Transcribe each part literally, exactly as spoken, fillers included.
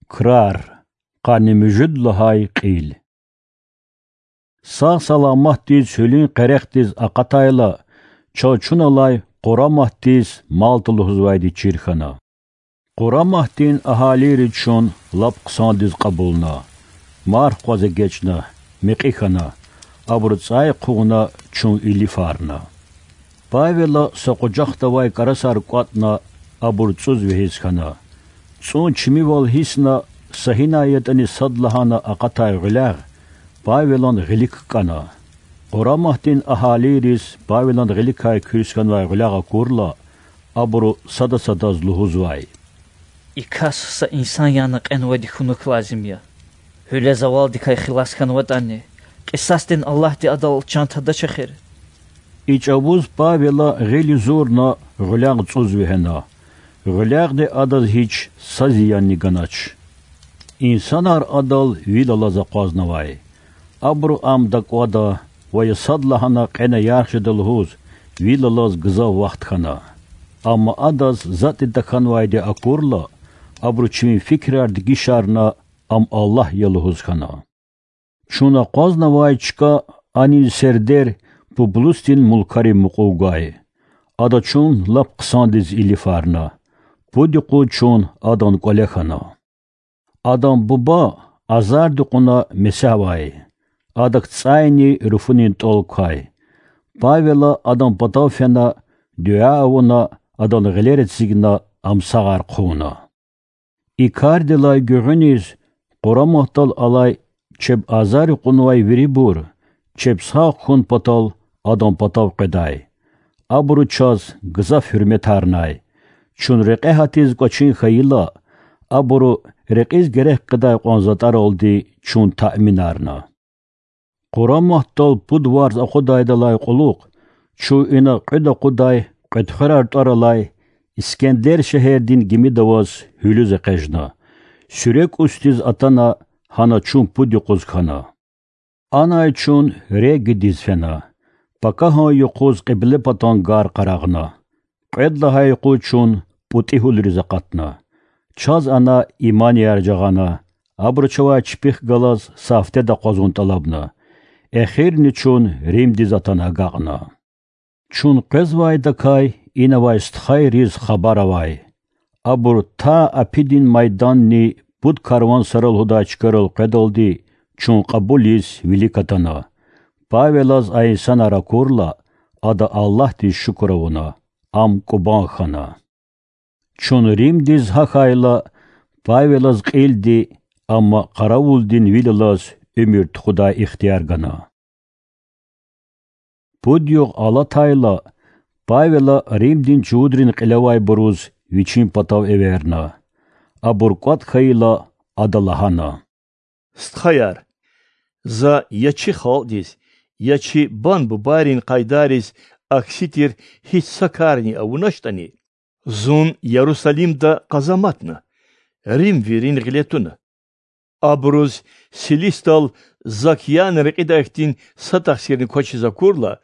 Крар. Къанни муьжуьд лагьай кьил. Сагъ-саламатдиз гьуьлуьн къерехдиз акъатайла, чаз чун алай Къураматдиз Малта лугьузвайди чир хьана. Къураматдин агьалийри чун лап хъсандиз кьабулна. Марф къваз эгечӀна, мекьи хьана, абуру цӀай хъувуна, чун илифарна. Павела са къужахда авай кӀарасар кӀватӀна, абур цӀуз вегьиз хьана. ЦӀун чимивал гьисна, са гьинай ятӀани садлагьана акъатай гъуьлягъ Павелан гъилик кӀана. Къураматдин агьалийриз Павелан гъиликай куьрс хьанвай гъуьлягъ акурла, абуру сада-садаз лугьузвай: И кас са инсан яна кьенвайди хьунухь лазим я. Гьуьле завалдикай хилас хьанватӀани, кьисасдин Аллагьди адал чан тадач эхир. И чӀавуз Павела гъил юзурна, гъуьлягъ цӀуз вегьена. Гъуьлягъди адаз гьич са зиянни ганач. Инсанар адал вил алаз акъвазнавай. Абуру ам дакӀвада ва я садлагьана кьена ярх жеда лугьуз, вил алаз гзаф вахт хьана. Амма адаз затӀни тахьанвайди акурла, абуру чпин фикирар дегишарна, ам Аллагь я лугьуз хьана. Чун акъвазнавай чка анин сердер Публусдин мулкарив мукьув гвай. Ада чун лап хъсандиз илифарна. Пуд юкъуз чун адан кӀвале хьана. Адан буба азарди кьуна месягь авай. Адак цӀайни руфунин тӀвал квай. Павела адан патав фена, дуьа авуна, адан гъилер эцигна, ам сагъар хъувуна. И кардилай гуьгъуьниз Къураматдал алай чеб азари кьунвай вирибур, чеб сагъ хьун патал, адан патав къведай. Абуру чаз гзаф гьуьрметарнай. Чун рекье гьатиз кӀвачин хьайила, абуру рекьиз герек къведай кьван затӀаралди чун таъминарна. Къураматдал пуд варз акъудайдалай кьулухъ чун ина кьуьд акъудай кьветхуьрер тӀвар алай Искендер шегьердин гимида аваз гьуьлуьз экъечӀна. Суьрек устиз атана, гьана чун пуд юкъуз хьана. Анай чун Регидиз фена. Пакагьан юкъуз кьиблепатан гар къарагъна. Кьвед лагьай юкъуз чун ПӀутӀи гьуьлуьриз акъатна. Чаз ана иманияр жагъана, абуру чавай чпихъ галаз са гьафтеда акъвазун тӀалабна. Эхирни чун Римдиз атана агакьна. Чун къвезвайдакай ина авай стхайриз хабар авай. Абур та Апидин майданни пуд карван сара лугьудай чкайрал къведалди чун кьабулиз вилик атана. Павелаз а инсанар акурла, ада Аллагьдиз шукур авуна, ам кӀубан хьана. Чун Римдиз гьахьайла, Павелаз кьилди, амма къаравулдин вил алаз уьмуьр тухудай ихтияр гана. Пуд югъ алатайла, Павела Римдин чувудрин кьилевайбуруз вичин патав эверна. Абур кӀватӀ хьайила, ада лагьана: Стхаяр, за я чи халкьдиз, я чи бан-бубайрин къайдайриз акси тир гьич са карни авуначтӀани, зун Ярусалимда къазаматна, римвийрин гъиле туна. Абуруз Силисдал зак яна рекьидай хьтин са тахсирни квачиз акурла,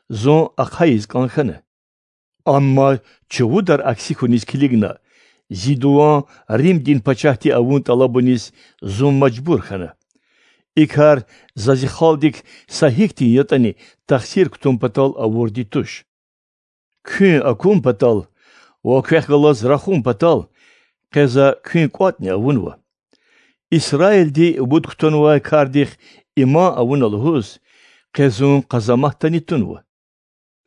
зун ахъайиз кӀан хьана. Амма чувудар акси хьуниз килигна, зи дуван Римдин пачагьди авун тӀалабуниз зун мажбур хьана. И кар за зи халкьдик са гьихьтин ятӀани тахсир кутун патал авурди туш. Куьн акун патал ва квехъ галаз рахун патал къе за куьн кӀватӀни авунва. Исраилди пуд кутунвай кардихъ иман авуна лугьуз, къе зун къазаматдани тунва.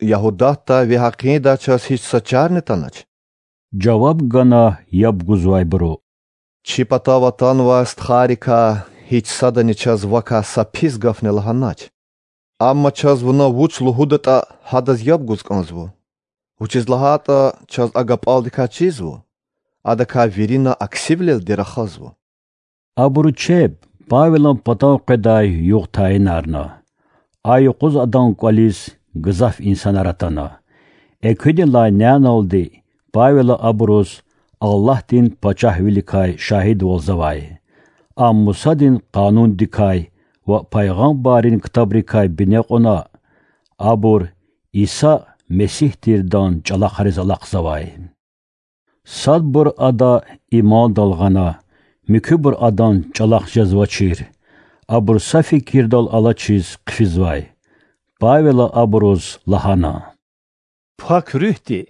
Ягьудатда ви гьакъиндай чаз гьич са чарни атанач,— жаваб гана яб гузвайбуру. Чи патав атанвай стхайрикай гьич садани чаз вакай са пис гафни лагьанач. Амма чаз вуна вуч лугьудатӀа, гьадаз яб гуз кӀанзава. Вучиз лагьайтӀа чаз а гапӀалдикай чизва, адакай вирина аксивилелди рахазва. Абуру чеб Павелан патав къведай югъ тайинарна. А юкъуз адан кӀвализ гзаф инсанар атана. Экуьнилай няналди Павела абуруз Аллагьдин Пачагьвиликай шагьидвалзавай, ам Мусадин Къанундикай ва пайгъамбаррин ктабрикай бине кьуна, абур Иса Месигь тирдан чӀалахъариз алахъзавай. Садбур ада имандал гъана, муькуьбур адан чІалахъ жезвачир. Абур са фикирдал алачиз хъфизвай. Павела абуруз лагьана: Пак Руьгьди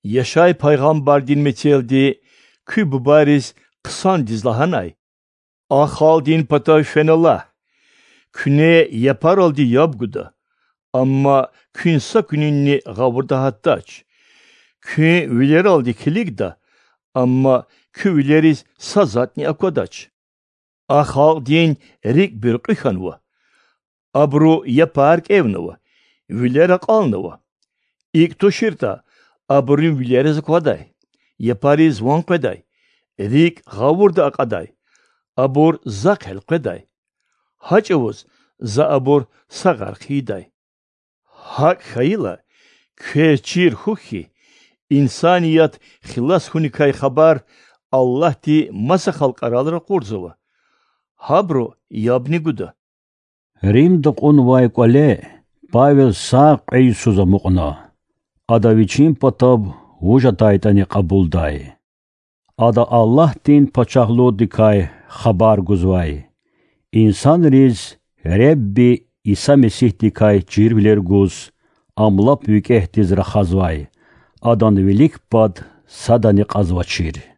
Яшай пайгъамбардин мецелди куь бубайриз хъсандиз лагьанай: А халкьдин патав фена лагь. Куьне япаралди яб гуда, амма куьн са куьнинни гъавурда гьатдач. Куьн вилералди килигда, амма куь вилериз са затІни аквадач. А халкьдин рикІ буьркьуь хьанва. Абуру япар кІевнава, вилер акьалнава. ИкІ туширтІа, абурун вилериз аквадай, япариз ван къведай, рикІ гъавурда акьадай, абур захъ элкъведай. Гьа чІавуз За абур сагъар хъийидай. ГьакІ хьайила, квез чир хьухь хьи, инсаният хилас хьуникай хабар Аллагьди маса халкьарал ракъурзава. Гьабуру ябни гуда. Римда кьунвай кІвале Павел са кьве йисуз амукьна. Ада вичин патав вуж атайтІани кьабулдай. Ада Аллагьдин Пачагьлудикай хабар гузвай, инсанриз Худа Иса Месигьдикай чирвилер гуз, Ам лап викІегьдиз рахазвай, Адан вилик пад садани кьазвачир.